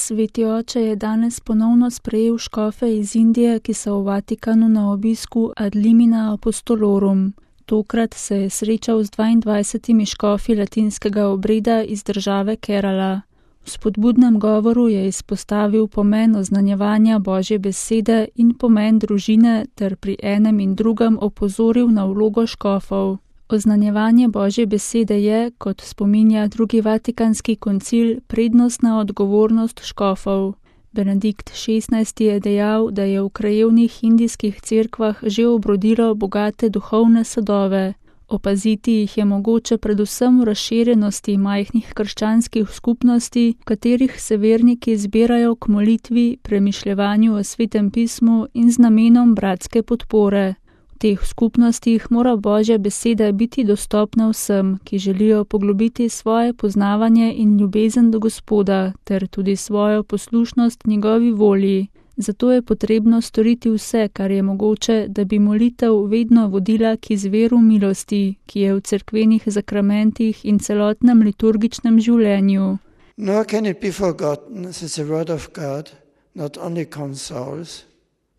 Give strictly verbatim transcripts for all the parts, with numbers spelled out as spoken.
Sveti oče je danes ponovno sprejel škofe iz Indije, ki so v Vatikanu na obisku ad limina apostolorum. Tokrat se je srečal z dvaindvajsetimi škofi latinskega obreda iz države Kerala. V spodbudnem govoru je izpostavil pomen oznanjevanja Božje besede in pomen družine ter pri enem in drugem opozoril na vlogo škofov. Oznanjevanje Božje besede je, kot spominja drugi vatikanski koncil, prednostna odgovornost škofov. Benedikt šestnajsti je dejal, da je v krajevnih indijskih cerkvah že obrodilo bogate duhovne sadove. Opaziti jih je mogoče predvsem v razširjenosti majhnih krščanskih skupnosti, v katerih se verniki zbirajo k molitvi, premišljevanju o svetem pismu in z namenom bratske podpore. V teh skupnostih mora Božja beseda biti dostopna vsem, ki želijo poglobiti svoje poznavanje in ljubezen do Gospoda, ter tudi svojo poslušnost njegovi volji. Zato je potrebno storiti vse, kar je mogoče, da bi molitev vedno vodila k izviru milosti, ki je v cerkvenih zakramentih in celotnem liturgičnem življenju. Nor can it be forgotten that the word of God not only consoles,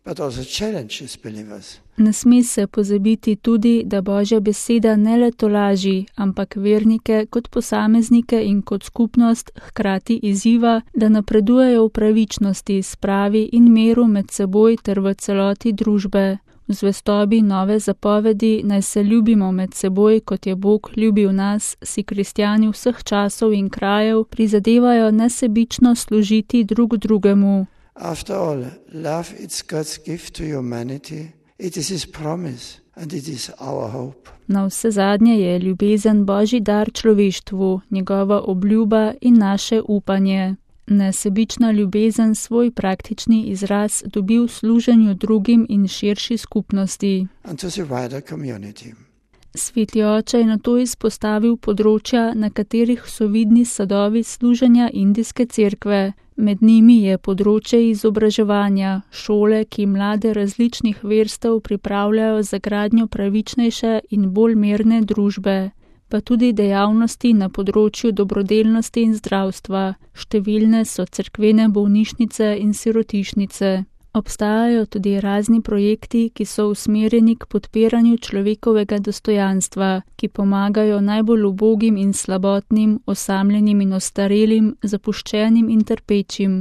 but also challenges believers. Ne sme se pozabiti tudi, da Božja beseda ne le tolaži, ampak vernike kot posameznike in kot skupnost hkrati izziva, da napredujejo v pravičnosti, spravi in miru med seboj ter v celoti družbe. V zvestobi nove zapovedi naj se ljubimo med seboj, kot je Bog ljubil nas, si kristjani vseh časov in krajev prizadevajo nesebično služiti drug drugemu. After all, love is God's gift to humanity. It is his promise and it is our hope. Na vse zadnje je ljubezen Božji dar človeštvu, njegova obljuba in naše upanje. Nesebična ljubezen svoj praktični izraz dobi v služenju drugim in širši skupnosti. And to the wider community. Sveti oče je nato izpostavil področja, na katerih so vidni sadovi služenja indijske cerkve. Med njimi je področje izobraževanja, šole, ki mlade različnih verstev pripravljajo za gradnjo pravičnejše in bolj mirne družbe, pa tudi dejavnosti na področju dobrodelnosti in zdravstva. Številne so cerkvene bolnišnice in sirotišnice. Obstajajo tudi razni projekti, ki so usmerjeni k podpiranju človekovega dostojanstva, ki pomagajo najbolj ubogim in slabotnim, osamljenim in ostarelim, zapuščenim in trpečim.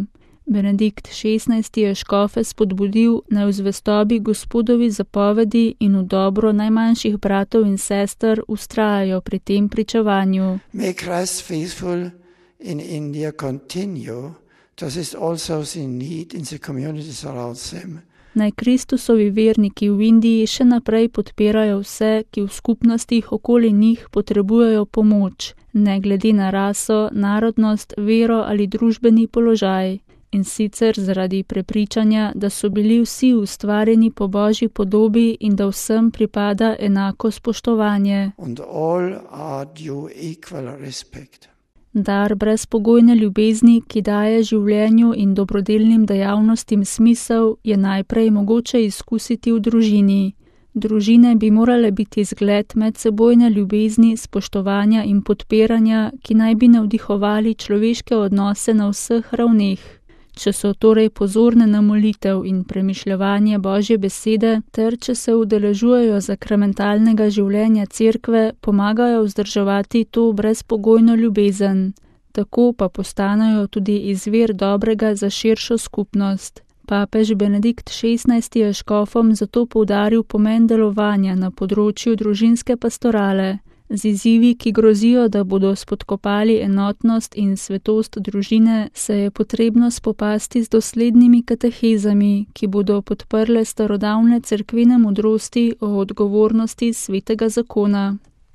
Benedikt šestnajsti je škofe spodbudil, naj v zvestobi Gospodovi zapovedi in v dobro najmanjših bratov in sester vztrajajo pri tem pričevanju. May Christ faithful in India continue. Das ist also the need in the communities around them. Naj Kristusovi verniki v Indiji še naprej podpirajo vse, ki v skupnostih okoli njih potrebujejo pomoč, ne glede na raso, narodnost, vero ali družbeni položaj. In sicer zaradi prepričanja, da so bili vsi ustvarjeni po Božji podobi in da vsem pripada enako spoštovanje. And all are due equal respect. Dar brezpogojne ljubezni, ki daje življenju in dobrodelnim dejavnostim smisel, je najprej mogoče izkusiti v družini. Družine bi morale biti zgled medsebojne ljubezni, spoštovanja in podpiranja, ki naj bi navdihovali človeške odnose na vseh ravneh. Če so torej pozorne na molitev in premišljevanje Božje besede, ter če se udeležujejo sakramentalnega življenja cerkve, pomagajo vzdrževati to brezpogojno ljubezen. Tako pa postanejo tudi izvir dobrega za širšo skupnost. Papež Benedikt šestnajsti je škofom zato poudaril pomen delovanja na področju družinske pastorale. Z izzivi, ki grozijo, da bodo spodkopali enotnost in svetost družine, se je potrebno spopasti z doslednimi katehezami, ki bodo podprle starodavne cerkvene modrosti o odgovornosti svetega zakona.